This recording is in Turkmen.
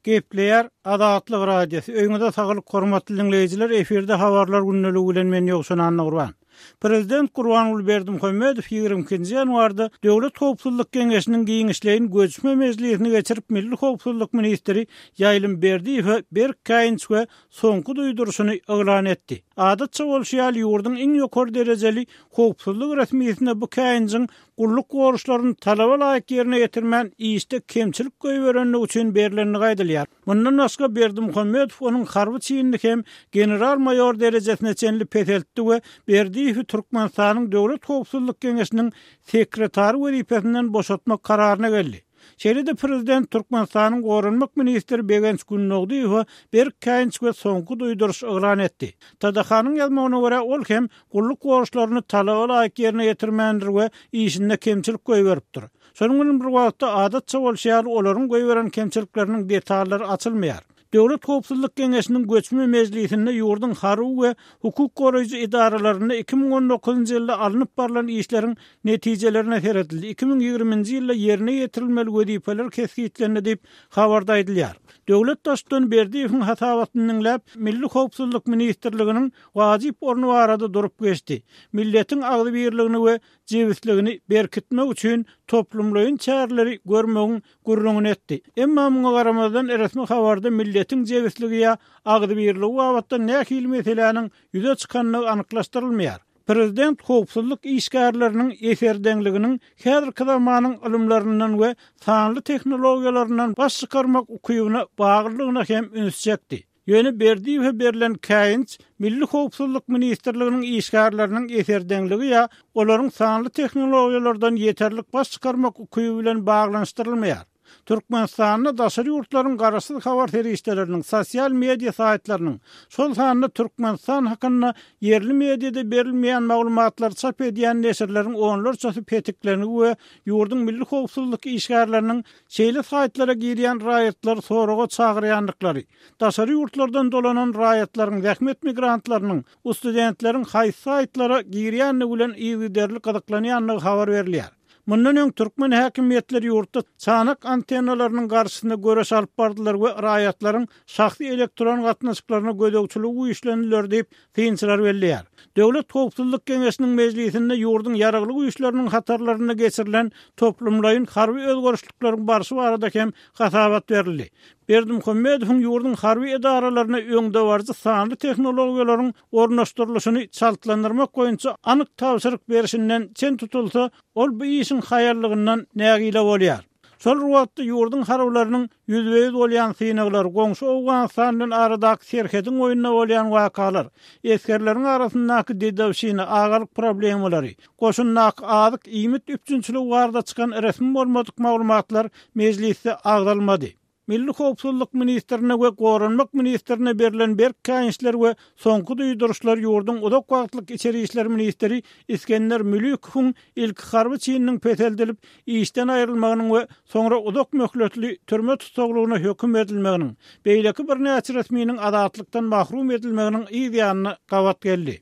Gepleýär Azatlyk Radiosy, Öýüňize saglyk hormatly diňleýjiler, efirde habarlar gündeligi bilen men Ýowşan Annagurban. Prezident Gurbanguly Berdimuhamedow 22-nji ýanwarda Döwlet howpsuzlyk geňeşiniň giňişleýin göçme mejlisini geçirip milli howpsuzlyk ministri Ýaýlym Berdiýewe berk käýinç we soňky duýduryşyny yglan etdi. Adatça bolşy ýaly ýurduň iň ýokary derejeli howpsuzlyk resmisine bu käýinjiň gulluk borçlaryny talaba laýyk ýerine ýetirmän işde kemçilik goýberendigi üçin berlendigi aýdylýar. Mundan başga Berdimuhamedow onuň harby çinini hem general-maýor derejesine çenli peseltdi we Berdiýewi Türkmenistanyň Döwlet howpsuzlyk geňeşiniň sekretary wezipesinden boşatmak kararyna geldi. Şeýle-de prezident Türkmenistanyň goranmak ministri Begenç Gündogdyýewe berk käýinç we soňky duýduryş yglan etdi. TDH-nyň ýazmagyna görä, ol hem gulluk borçlaryny talaba laýyk ýerine ýetirmändir we işinde kemçilik goýberipdir. Şonuň bilen bir wagtda, adatça bolşy ýaly, olaryň goýberen kemçilikleriniň detallary açylmaýar. Döwlet howpsuzlyk geňeşiniň göçme mejlisinde ýurduň harby we hukuk goraýjy edaralarynda 2019-njy ýylda alnyp barlan işleriň netijelerine seredildi, 2020-nji ýylda ýerine ýetirilmeli wezipeler kesgitlendi diýip, habarda aýdylýar. Döwlet Baştutany Berdiýewiň hasabatyny diňläp, Milli howpsuzlyk ministrliginiň wajyp orny barada durup geçdi. Milletiň agzybirligini we jebisligini berkitmek üçin toplumlaýyn çäreleri görmegiň gürrüňini etdi. Emma muňa garamazdan resmi habarda milletiň jebisligi ýa agzybirligi babatda nähili meseläniň ýüze çykandygy anyklaşdyrylmaýar. Prezident howpsuzlyk işgärleriniň eserdeňliginiň häzirki zamanyň ylymlaryndan we sanly tehnologiýalaryndan baş çykarmak ukybyna baglydygyna hem üns çekdi. Ýöne Berdiýewe berlen käýinç Milli howpsuzlyk ministrliginiň işgärleriniň eserdeňligi ýa olaryň sanly tehnologiýalardan ýeterlik baş çykarmak ukyby bilen baglanyşdyrylmaýar. Türkmenistanda daşary ýurtlaryň garaşsyz habar serişdeleriniň, sosial media saýtlarynyň, şol sanda Türkmenistan hakynda ýerli mediada berilmeýän maglumatlary çap edýän neşirleriň onlarçasy petiklengi we ýurduň milli howpsuzlyk işgärleriniň şeýle saýtlara girýän raýatlary soraga çagyrýandyklary, daşary ýurtlardan dolanan raýatlaryň, zähmet migrantlarynyň, studentleriň haýsy saýtlara girýändigi bilen yzygiderli gyzyklanýandygy habar berilýär. Mundan öň türkmen häkimiýetleri ýurtda çanak antennalarynyň garşysyna göreş alyp bardylar we raýatlaryň şahsy elektron gatnaşyklaryna gözegçiligi güýçlendiler diýip, synçylar belleýär. Döwlet howpsuzlyk geňeşiniň mejlisinde ýurduň Ýaragly Güýçleriniň hatarlarynda geçirilen toplumlaýyn harby özgerişlikleriň barşy barada hem hasabat berildi. Berdimuhamedowyň ýurduň harby edaralaryna öňdebaryjy sanly tehnologiýalaryň ornaşdyrylyşyny çaltlandyrmak boýunça anyk tabşyryk berşinden çen tutulsa, ol bu işiň haýallygyndan nägile bolýar. Şol bir wagtda ýurduň harbylarynyň ýüzbe-ýüz bolýan synaglary, goňşy Owganystan bilen aradaky serhediň boýunda bolýan wakalar, esgerleriň arasyndaky dedowşina, agalyk problemalary, goşundaky azyk, iýmit üpjünçiligi barada çykan resmi bolmadyk maglumatlar mejlisde agzalmady. Milli howpsuzlyk ministrine we goranmak ministrine berlen berk käýinçler we soňky duýduryşlar ýurduň uzak wagtlyk içeri işler ministri Isgender Mülükowyň ilki harby çininiň peseldilip, işden aýrylmagynyň we soňra uzak möhletli türme tussaglygyna höküm edilmeginiň, beýleki birnäçe resminiň azatlykdan mahrum edilmeginiň yz ýanyna gabat geldi.